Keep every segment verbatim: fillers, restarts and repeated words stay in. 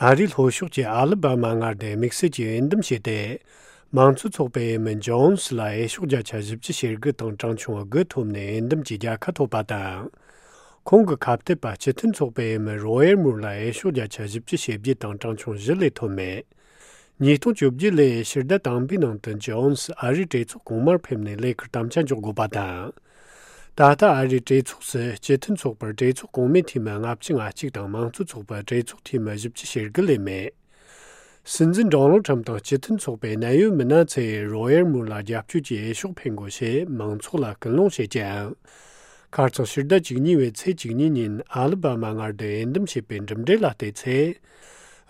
ཨ་རིའི་ལྷོ་ཕྱོགས་ཀྱི་ཨ་ལི་བྷ་མ་མངའ་སྡེའི་དམིགས་བསལ་གྱི་འོས་འདེམས་བྱས་ཏེ། མང་གཙོ་ཚོགས་པའི་འོས་མི་ཇོན་སི་ལ་འོས་ཤོག་བརྒྱ་ཆ་བཞི་བཅུ་ཞེ་དགུ་དང་གྲངས་ཆུང་དགུ་ཐོབ་ནས་འོས་འདེམས་ཀྱི་རྒྱལ་ཁ་ཐོབ་པ་དང་། ཁོང་གི་ཁ་གཏད་པ་སྤྱི་མཐུན་ཚོགས་པའི་འོས་མི་རོ་ཡར་མུར་ལ་འོས་ཤོག་བརྒྱ་ཆ་བཞི་བཅུ་ཞེ་བརྒྱད་དང་གྲངས་ཆུང་བཞི་ལས་ཐོབ་མེད། ཉིས་སྟོང་བཅོ་བརྒྱད་ལོའི་ཕྱི་ཟླ་དང་པོའི་ནང་དུ་ཇོན་སི་ཨ་རིའི་གྲོས་ཚོགས་གོང་མར་ཕེབས་ནས་ལས་ཀར་དམ་བཅའ་འཇོག་དགོས་པ་དང་། ད་ལྟ་ཨ་རིའི་གྲོས་ཚོགས་སུ་སྤྱི་མཐུན་ཚོགས་པར་གྲོས་ཚོགས་གོང་མའི་འཐུས་མི་ལྔ་བཅུ་ང་གཅིག་དང་མང་གཙོ་ཚོགས་པར་གྲོས་ཚོགས་འཐུས་མི་བཞི་བཅུ་ཞེ་དགུ་ལས་མེད། སྲིད་འཛིན་ཌོ་ནལ་ཁྲམ་དང་སྤྱི་མཐུན་ཚོགས་པའི་གནད་ཡོད་མི་སྣ་ཚོས་རོ་ཡར་མུར་ལ་རྒྱབ་སྐྱོར་གྱི་འོས་ཤོག་འཕེན་དགོས་ཞེས་མང་ཚོགས་ལ་སྐུལ་སློང་བྱེད་ཀྱང་། ཁ་སང་ཕྱི་ཟླ་བཅུ་གཉིས་པའི་ཚེས་བཅུ་གཉིས་ཉིན་ཨ་ལི་བྷ་མ་མངའ་སྡེའི་འོས་འདེམས་བྱས་པའི་གྲུབ་འབྲས་ལ་བལྟས་ཚེ།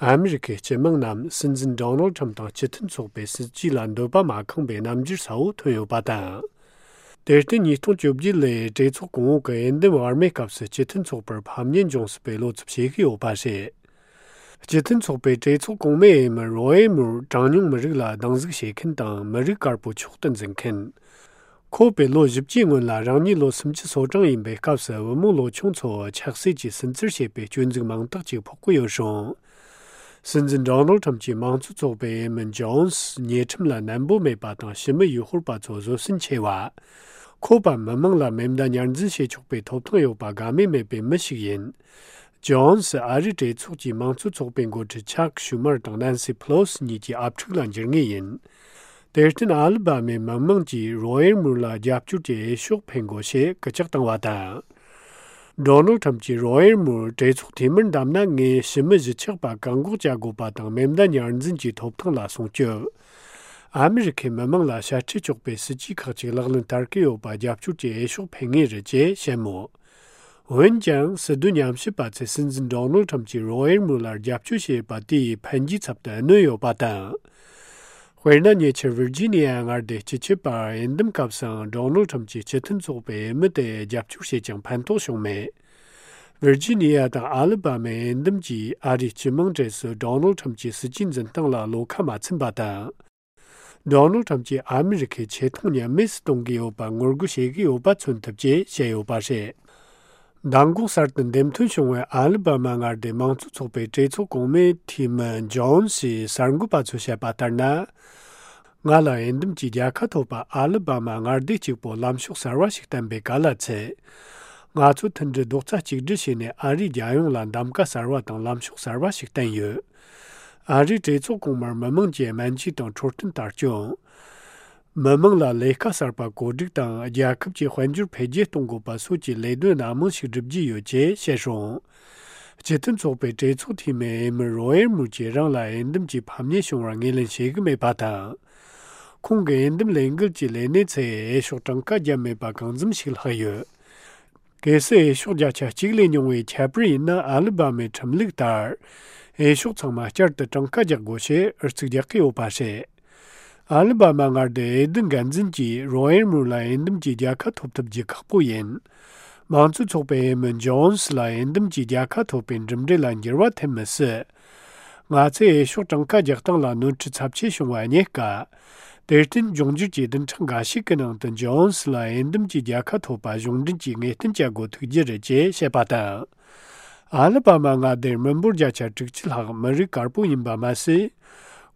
ཨ་མི་རི་ཁའི་སྤྱི་དམངས་རྣམས་སྲིད་འཛིན་ཌོ་ནལ་ཁྲམ་དང་སྤྱི་མཐུན་ཚོགས་པའི་སྲིད་ཇུས་ལ་འདོད་པ་མ་ཁེངས་པའི་རྣམ་འགྱུར་གསལ་བོ་ཐོན་ཡོད་པ་དང་། དེར་བརྟེན་ཉིས་སྟོང་བཅོ་བརྒྱད་ལོའི་གྲོས་ཚོགས་གོང་འོག་གི་འོས་འདེམས་བར་མའི་སྐབས་སུ་སྤྱི་མཐུན་ཚོགས་པར་ཕམ་ཉེས་འབྱུང་སྲིད་པའི་བློ་འཚབ་བྱེད་ཀྱི་ཡོད་པ་རེད། སྤྱི་མཐུན་ཚོགས་པའི་གྲོས་ཚོགས་གོང་མའི་འོས་མི་རོ་ཨེ་མུར་གྲངས་ཉུང་མི་རིགས་ལ་སྡང་ཟུག་བྱེད་མཁན་དང་མི་རིགས་དཀར་པོ་མཆོག་ཏུ་འཛིན་མཁན། ཁོ་པའི་ལོ་བཞི་བཅུའི་སྔོན་ལ་རང་ཉིད་ལོ་སུམ་ཅུ་སོ་གྲངས་ཡིན་པའི་སྐབས་སུ་བུ་མོ་ལོ་ཆུང་ཚོ་ཆགས་སྲེད་ཀྱིས་སུན་གཙེར་བྱེད་པའི་སྐྱོན་འཛུགས་མང་དག་ཅིག་ཕོག་གི་ཡོད་རུང་། སྲིད་འཛིན་ཌོ་ནལ་ཁྲམ་གྱིས་མང་གཙོ་ཚོགས་པའི་འོས་མི་ཇོན་སི་ཉེས་ཁྲིམས་ལ་ནན་པོ་མེད་པ་དང་ཞི་མི་ཡུལ་ཤུལ་པ་ཚོ་བཟོད་བསྲན་ཆེ་བ། ཁོ་པ་མི་མང་ལ་མེ་མདའ་ཉར་འཛིན་བྱེད་ཆོག་པའི་ཐོབ་ཐང་ཡོད་པ་དགའ་མོས་མེད་པའི་མི་ཞིག་ཡིན། ཇོན་སི་ཨ་རིའི་གྲོས་ཚོགས་ཀྱི་མང་གཙོ་ཚོགས་པའི་འགོ་ཁྲིད་ཆག་ཤུ་མར་དང་ནན་སི་ཕི་ལོ་སི་གཉིས་ཀྱི་ཨབ་ཕྲུག་ལ་འགྱུར་ངེས་ཡིན། དེར་བརྟེན་ཨ་ལི་བྷ་མའི་མི་མང་གིས་རོ་ཡར་མུར་ལ་རྒྱབ་སྐྱོར་གྱི་འོས་ཤོག་འཕེན་དགོས་ཞེས་སྐུལ་ལྕག་བཏང་བ་དང་། ཌོ་ནལ་ཁྲམ་གྱིས་རོ་ཡར་མུར་གྲོས་ཚོགས་འཐུས་མིར་བདམས་ན་ངས་ཞི་མི་གཞིས་ཆགས་པ་བཀག་འགོག་བྱ་དགོས་པ་དང་མེ་མདའ་ཉར་འཛིན་གྱི་ཐོབ་ཐང་ལ་སྲུང་སྐྱོབ། ཨ་མི་རི་ཁའི་མི་མང་ལ་ཤ་ཁྲེལ་གཅོག་པའི་སྲིད་ཇུས་ཁག་ཅིག་ལག་ལེན་བསྟར་གྱི་ཡོད་པ་རྒྱབ་སྐྱོར་གྱི་འོས་ཤོག་འཕེན་ངེས་རེད་ཅེས་བཤད་མོད། འོན་ཀྱང་སྲིད་དོན་ཉམས་ཞིབ་པ་ཚོས་སྲིད་འཛིན་ཌོ་ནལ་ཁྲམ་གྱིས་རོ་ཡར་མུར་ལ་རྒྱབ་སྐྱོར་བྱས་པ་དེ་ཡིས་ཕན་རྒྱའི་ཚབ་ཏུ་གནོད་ཡོད་པ་དང་། དཔེར་ན་ཉེ་ཆར་ཝིར་ཇི་ནི་ཡ་མངའ་སྡེའི་སྤྱི་ཁྱབ་པར་འོས་འདེམས་སྐབས་སུའང་ཌོ་ནལ་ཁྲམ་གྱིས་སྤྱི་མཐུན་ཚོགས་པའི་འོས་མི་དེ་རྒྱབ་སྐྱོར་བྱས་ཀྱང་ཕན་ཐོགས་བྱུང་མེད། ཝིར་ཇི་ནི་ཡ་དང་ཨ་ལི་བྷ་མའི་འོས་འདེམས་ཀྱིས་ཨ་རིའི་སྤྱི་དམངས་གྲས་སུ་ཌོ་ནལ་ཁྲམ་གྱི་སྲིད་ཇུས་འཛིན་སྟངས་ལ་བློ་ཁ་མ་ཚིམ་པ་དང་། ཌོ་ནལ་ཁྲམ་གྱིས་ཨ་མི་རི་ཁའི་ཆེ་མཐོང་ཉམས་དམས་སུ་གཏོང་གི་ཡོད་པ་ངོ་རྒོལ་བྱེད་ཀྱི་ཡོད་པ་མཚོན་ཐུབ་ཅེས་བཤད་ཡོད་པ་རེད། མདང་དགོང་གསར་དུ་འདེམས་ཐོན་བྱུང་བའི་ཨ་ལི་བྷ་མ་མངའ་སྡེའི་མང་གཙོ་ཚོགས་པའི་གྲོས་ཚོགས་གོང་མའི་འཐུས་མི་ཇོན་སི་གསར་འགོད་པ་ཚོས་བཤད་པ་ལྟར་ན། ང་ལ་འོས་འདེམས་ཀྱི་རྒྱལ་ཁ་ཐོབ་པ་ཨ་ལི་བྷ་མ་མངའ་སྡེ་གཅིག་པོ་ལམ་ཕྱོགས་གསར་བ་ཞིག་བསྟན་པའི་ག་ལ་ཚད། ང་ཚོ་མཐུན་སྒྲིལ་རྡོག་རྩ་གཅིག་སྒྲིལ་བྱས་ནས་ཨ་རིའི་རྒྱལ་ཡོངས་ལ་གདམ་ག་གསར་བ་དང་ལམ་ཕྱོགས་གསར་བ་ཞིག་བསྟན་ཡོད། ཨ་རིའི་གྲོས་ཚོགས་གོང་མར་མི་མང་གིས་སྨན་བཅོས་དང་འཕྲོད་བསྟེན་ལྟ་སྐྱོང་། མི་མང་ལ་ལས་ཀ་གསར་པ་བཀོད་སྒྲིག་དང་རྒྱལ་ཁབ་ཀྱི་དཔལ་འབྱོར་འཕེལ་རྒྱས་གཏོང་དགོས་པ་སོགས་ཀྱི་ལས་དོན་སྣ་མང་ཞིག་སྒྲུབ་རྒྱུ་ཡོད་ཅེས་བཤད་སོང་། སྤྱི་མཐུན་ཚོགས་པའི་གྲོས་ཚོགས་འཐུས་མི་འོས་མི་རོ་ཨེར་མུར་གྱིས་རང་ལ་འོས་འདེམས་ཀྱི་ཕམ་ཉེས་བྱུང་བར་ངོས་ལེན་བྱེད་ཀྱི་མེད་པ་དང་། ཁོང་གི་འོས་འདེམས་ལས་འགུལ་གྱི་ལས་སྣེ་ཚོས་འོས་ཤོག་གྲངས་ཀ་བརྒྱབ་མེད་པ་གང་འཚམ་ཞིག་ལྷག་ཡོད། གལ་སྲིད་འོས་ཤོག་བརྒྱ་ཆ་གཅིག་ལས་ཉུང་བའི་ཁྱད་པར་ཡིན་ན་ཨ་ལི་བྷ་མའི་ཁྲིམས་ལུགས་ལྟར། འོས་ཤོག་ཚང་མ་བསྐྱར་དུ་གྲངས་ཀ་རྒྱག་དགོས་ཞེས་ཨུ་ཚུགས་རྒྱག་གི་ཡོད་པ་རེད། ཨ་ལི་བྷ་མ་མངའ་སྡེའི་འོས་བསྡུ་འགན་འཛིན་གྱིས་རོ་ཨེར་མུར་ལ་འོས་འདེམས་ཀྱི་རྒྱལ་ཁ་ཐོབ་ཐུབ་རྒྱུ་ཁག་པོ་ཡིན། མང་གཙོའི་ཚོགས་པའི་འོས་མི་ཇོན་སི་ལ་འོས་འདེམས་ཀྱི་རྒྱལ་ཁ་ཐོབ་པའི་གྲུབ་འབྲས་ལ་འགྱུར་བ་ཐེབས་མི་སྲིད། ང་ཚོས་འོས་ཤོག་གྲངས་ཀ་རྒྱག་སྟངས་ལ་ནོར་འཁྲུལ་ཚབས་ཆེ་བྱུང་བ་རྙེད་དཀའ། དེར་བརྟེན་འབྱུང་འགྱུར་གྱི་བདུན་ཕྲག་འགའ་ཞིག་གི་ནང་དུ་ཇོན་སི་ལ་འོས་འདེམས་ཀྱི་རྒྱལ་ཁ་ཐོབ་པ་གཞུང་འབྲེལ་གྱིས་ངེས་གཏན་བྱ་དགོས་ཐུག་རྒྱུ་རེད་ཅེས་བཤད་པ་དང་། ཨ་ལི་བྷ་མ་མངའ་སྡེར་མི་འབོར་བརྒྱ་ཆ་དྲུག་ཅུ་ལྷག་མི་རིགས་དཀར་པོ་ཡིན་པ་མ་ཟད།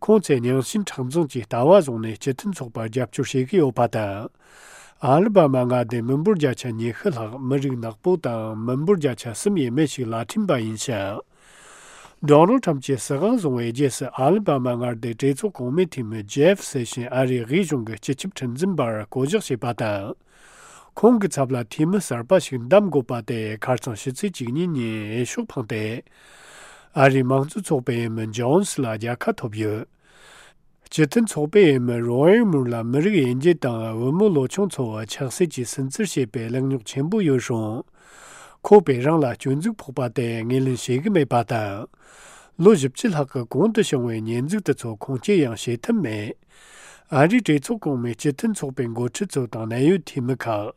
ཁོང་ཚོས་རྙིང་ཞེན་མཁྲེགས་འཛིན་གྱི་ལྟ་བ་བཟུང་ནས་སྤྱི་མཐུན་ཚོགས་པར་རྒྱབ་སྐྱོར་བྱེད་ཀྱི་ཡོད་པ་དང་། ཨ་ལི་བྷ་མ་མངའ་སྡེའི་མི་འབོར་བརྒྱ་ཆ་ཉི་ཤུ་ལྷག་མི་རིགས་ནག་པོ་དང་མི་འབོར་བརྒྱ་ཆ་གསུམ་ཡས་མས་ཤིག་ལ་ཁྲིམས་པ་ཡིན་ཞིང་། ཌོ་ནལ་ཁྲམ་གྱིས་སྲིད་དབང་བཟུང་བའི་རྗེས་སུ་ཨ་ལི་བྷ་མ་མངའ་སྡེའི་གྲོས་ཚོགས་གོང་མའི་འཐུས་མི་ཇེབ་སེ་ཤིན་ཨ་རིའི་དབུས་གཞུང་གི་སྤྱི་ཁྱབ་ཁྲིམས་འཛིན་པར་བསྐོ་གཞག་བྱས་པ་དང་། ཁོང་གི་ཚབ་ལ་འཐུས་མི་གསར་པ་ཞིག་འདེམས་དགོས་པ་དེ་ཁ་སང་ཕྱི་ཚེས་བཅུ་གཉིས་ཉིན་འོས་ཤོག་འཕངས་ཏེ། ཨ་རིའི་མང་གཙོའི་ཚོགས་པའི་འོས་མི་ཇོན་སི་ལ་རྒྱལ་ཁ་ཐོབ་ཡོད། སྤྱི་མཐུན་ཚོགས་པའི་འོས་མི་རོ་ཨེར་མུར་ལ་མི་རིགས་དབྱེ་འབྱེད་དང་བུ་མོ་ལོ་ཆུང་ཚོ་ཆགས་སྲེད་ཀྱིས་སུན་གཙེར་བྱེད་པའི་གླེང་རྙོག་ཆེན་པོ་ཡོད་རུང་། ཁོ་པས་རང་ལ་སྐྱོན་འཛུགས་ཕོག་པ་དེ་ངོས་ལེན་བྱེད་ཀྱི་མེད་པ་དང་། ལོ་བཞི་བཅུ་ལྷག་གི་གོང་དུ་བྱུང་བའི་ཉེས་འཛུགས་དེ་ཚོ་ཁུངས་སྐྱེལ་ཡང་བྱེད་ཐུབ་མེད། ཨ་རིའི་གྲོས་ཚོགས་གོང་མའི་སྤྱི་མཐུན་ཚོགས་པའི་འགོ་ཁྲིད་ཚོ་དང་གནད་ཡོད་འཐུས་མི་ཁག་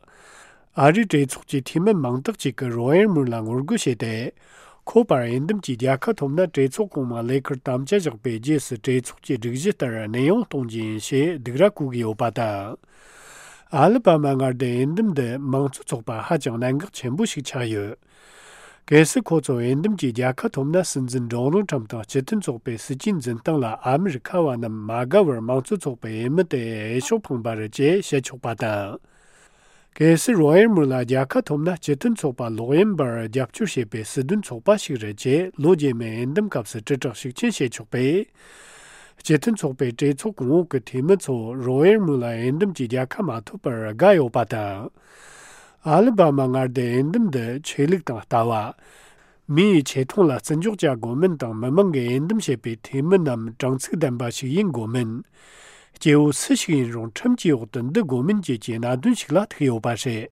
ཨ་རིའི་གྲོས་ཚོགས་ཀྱི་འཐུས་མི་མང་དག་ཅིག་གིས་རོ་ཨེར་མུར་ལ་ངོ་རྒོལ་བྱས་ཏེ། ཁོ་པར་འོས་འདེམས་ཀྱི་རྒྱལ་ཁ་ཐོབ་ན་གྲོས་ཚོགས་གོང་མ་ལས་ཀར་དམ་བཅའ་བཞག་པའི་རྗེས་སུ་གྲོས་ཚོགས་ཀྱི་སྒྲིག་གཞི་ལྟར་གནས་དབྱུང་གཏོང་རྒྱུ་ཡིན་ཞེས་སྡིགས་ར་བསྐུལ་གྱི་ཡོད་པ་དང་། ཨ་ལི་བྷ་མ་མངའ་སྡེའི་འོས་འདེམས་འདི་མང་གཙོ་ཚོགས་པར་ཧ་ཅང་གནད་འགག་ཆེན་པོ་ཞིག་ཆགས་ཡོད། གལ་སྲིད་ཁོ་ཚོ་འོས་འདེམས་ཀྱི་རྒྱལ་ཁ་ཐོབ་ན། སྲིད་འཛིན་ཌོ་ནལ་ཁྲམ་དང་སྤྱི་མཐུན་ཚོགས་པའི་སྲིད་ཇུས་འཛིན་སྟངས་ལ་ཨ་མི་རི་ཁ་བ་རྣམས་མ་དགའ་བར་མང་གཙོ་ཚོགས་པའི་འོས་མི་དེ་འོས་ཤོག་འཕངས་པ་རེད་ཅེས་བཤད་ཆོག་པ་དང་། གལ་སྲིད་རོ་ཡར་མུ་ལ་རྒྱལ་ཁ་ཐོབ་ན། སྤྱི་མཐུན་ཚོགས་པ་ལོག་གཡེམ་པར་རྒྱབ་སྐྱོར་བྱེད་པའི་སྲིད་དོན་ཚོགས་པ་ཞིག་རེད་ཅེས་ལོ་རྗེས་མའི་འོས་འདེམས་སྐབས་སུ་དྲིལ་བསྒྲགས་ཤུགས་ཆེན་བྱས་ཆོག་པས། སྤྱི་མཐུན་ཚོགས་པའི་གྲོས་ཚོགས་གོང་འོག་གི་འཐུས་མི་ཚོ་རོ་ཡར་མུ་ལ་འོས་འདེམས་ཀྱི་རྒྱལ་ཁ་མ་ཐོབ་པར་དགའ་ཡོད་པ་དང་། ཨ་ལི་བྷ་མ་མངའ་སྡེའི་འོས་འདེམས་འདི་ཆོས་ལུགས་དང་ལྟ་བ། མི་ཡི་ཆེ་མཐོང་ལ་བརྩི་འཇོག་བྱ་དགོས་མིན་དང་། མི་མང་གིས་འོས་འདེམས་བྱས་པའི་འཐུས་མི་རྣམས་དྲང་ཚུགས་ལྡན་པ་ཞིག་ཡིན་དགོས་མིན། སྐྱེ་བོ་སུ་ཞིག་ཡིན་རུང་ཁྲིམས་ཀྱི་འོག་ཏུ་འདུ་དགོས་མིན་བཅས་ཀྱི་གནད་དོན་ཞིག་ལ་ཐུག་ཡོད་པ་རེད།